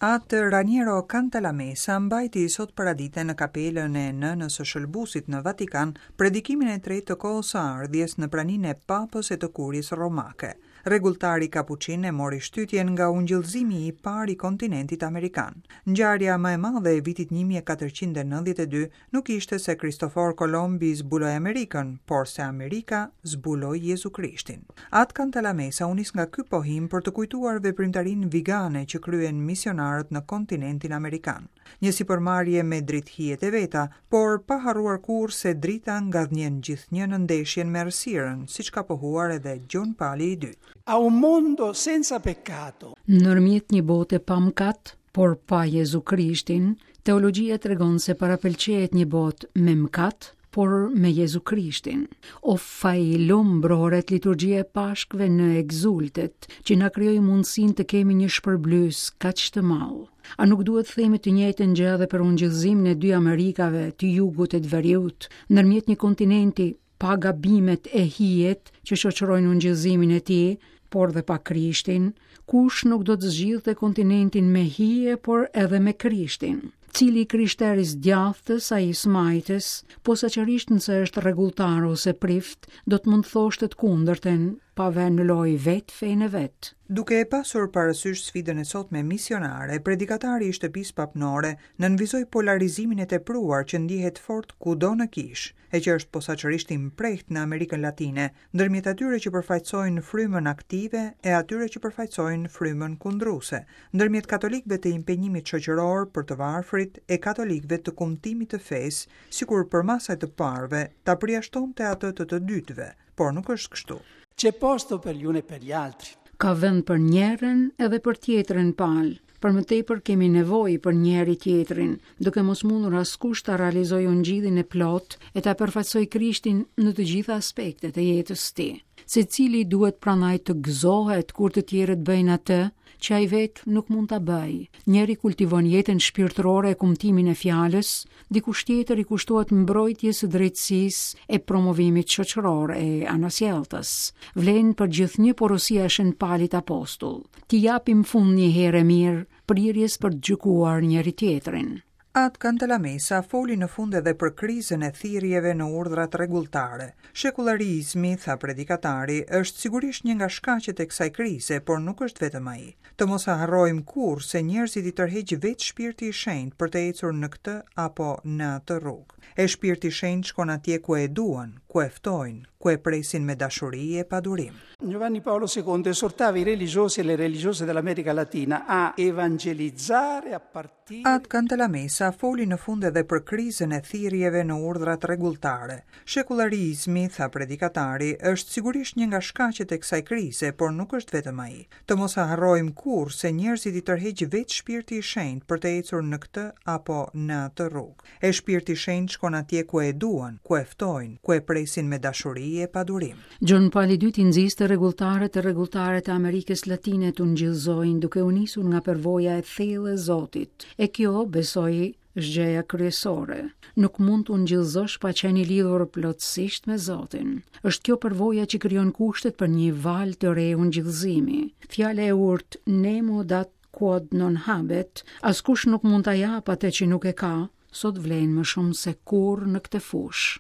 Atë Raniero Cantalamessa mbajti sot paradite në kapelën e Nënës së Shëlbuesit në Vatikan predikimin e tretë të kohës së ardhjes në praninë e Papës e të Kuries Romake. Rregulltari kapuçin e mori shtytjen nga ungjillëzimi i parë i kontinentit amerikan. Ngjarja më e madhe e vitit 1492 Nuk ishte se Kristofor Kolombi zbuloi Amerikën, por se Amerika zbuloi Jezu Krishtin. At Cantalamessa u nis nga ky pohim për të kujtuar veprimtarinë vigane që kryen misionarët në kontinentin amerikan. Një sipërmarrje me dritëhijet e veta, por pa harruar kurrë se drita ngadhnjen gjithnjë në ndeshjen me errësirën, siç ka pohuar edhe Gjon Pali i Dytë. A un mondo senza peccato. Ndërmjet një bote pa mëkat, Por pa Jezu Krishtin, teologjia tregon se parapëlqehet një botë me mëkat, por me Jezu Krishtin. O fajlum brohoret liturgjia e Pashkëve në Exultet, që na krijoi mundësinë të kemi një shpërblyes kaq të madh. A nuk duhet të themi të njëjtën gjë edhe për ungjillëzimin e dy Amerikave, të jugut e të veriut, ndërmjet një kontinenti pa gabimet e hijet që shoqërojnë ungjillëzimin e tij, por dhe pa Krishtin, kush nuk do të zgjidhte kontinentin me hije, por edhe me Krishtin. Cili i krishterë i së djathtës a i së majtës, posaçërisht nëse është rregulltar ose prift, do të mund të thoshte të kundërtën, pa vënë në lojë vetë fenë e vet. Duke e pasur parasysh sfidën e sotme misionare, predikatari i shtëpisë papnore nënvizoi polarizimin e tepruar që ndjehet fort kudo në kishë, e që është posaçërisht i mprehtë në Amerikën Latine, ndërmjet atyre që përfaqësojnë frymën aktive e atyre që përfaqësojnë frymën kundruese, ndërmjet katolikëve të impenjimit shoqëror për të varfrit e katolikëve të kumtimit të fesë, sikur përmasa e të parëve ta përjashtonte atë të të dytëve, por nuk është kështu. C'è posto per gli uni e per gli altri. Ka vend për njërën edhe për tjetrën palë. Për më tepër kemi nevojë për njëri-tjetrin, duke mos mundur askush ta realizojë ungjillin e plotë e ta përfaqësojë Krishtin në të gjitha aspektet e jetës së tij. Secili duhet prandaj të gëzohet kur të tjerët bëjnë atë që ai vetë nuk mund ta bëjë. Njëri kultivon jetën shpirtërore e kumtimin e fjalës, dikush tjetër i kushtohet mbrojtjes së drejtësisë e promovimit shoqëror e anasjelltas. Vlen për gjithnjë porosia e Shën Palit Apostull. T'i japim fund një herë e mirë prirjes për të gjykuar njëri-tjetrin. At Cantalamessa foli në fund edhe për krizën e thirrjeve në urdhrat rregulltare. Shekullarizmi, tha predikatari, është sigurisht një nga shkaqet e kësaj krize, por nuk është vetëm ai. Të mos e harrojmë kurrë se njerëzit i tërheq vetë Shpirti i Shenjtë për të ecur në këtë apo në atë rrugë. E Shpirti i Shenjtë shkon atje ku e duan, ku e ftojnë, ku e presin me dashuri e padurim. Giovanni Paolo II esortava i religiosi e le religiose dell'America Latina a evangelizzare a partire At Cantalamessa foli në fund edhe për krizën e thirrjeve në urdhrat rregulltare. Shekullarizmi, tha predikatari, është sigurisht një nga shkaqet e kësaj krize, por nuk është vetëm ai. Të mos e harrojmë kurrë se njerëzit i tërheq vetë Shpirti i Shenjtë për të ecur në këtë apo në atë rrugë. E Shpirti i Shenjtë shkon atje ku e duan, ku e ftojnë, ku e presin me dashuri e padurim. Gjon Pali i Dytë i nxiste rregulltarët e rregulltaret e Amerikës Latine të ungjillëzojnë duke u nisur nga përvoja e thellë e Zotit. E kjo, besoj, është gjëja kryesore. Nuk mund të ungjillëzosh pa qenë i lidhur plotësisht me Zotin. Është kjo përvoja që krijon kushtet për një valë të re ungjillëzimi. Fjala e urtë nemo dat Quod non habet, askush nuk mund ta japë atë që nuk e ka, sot vlen më shumë se kurrë në këtë fushë.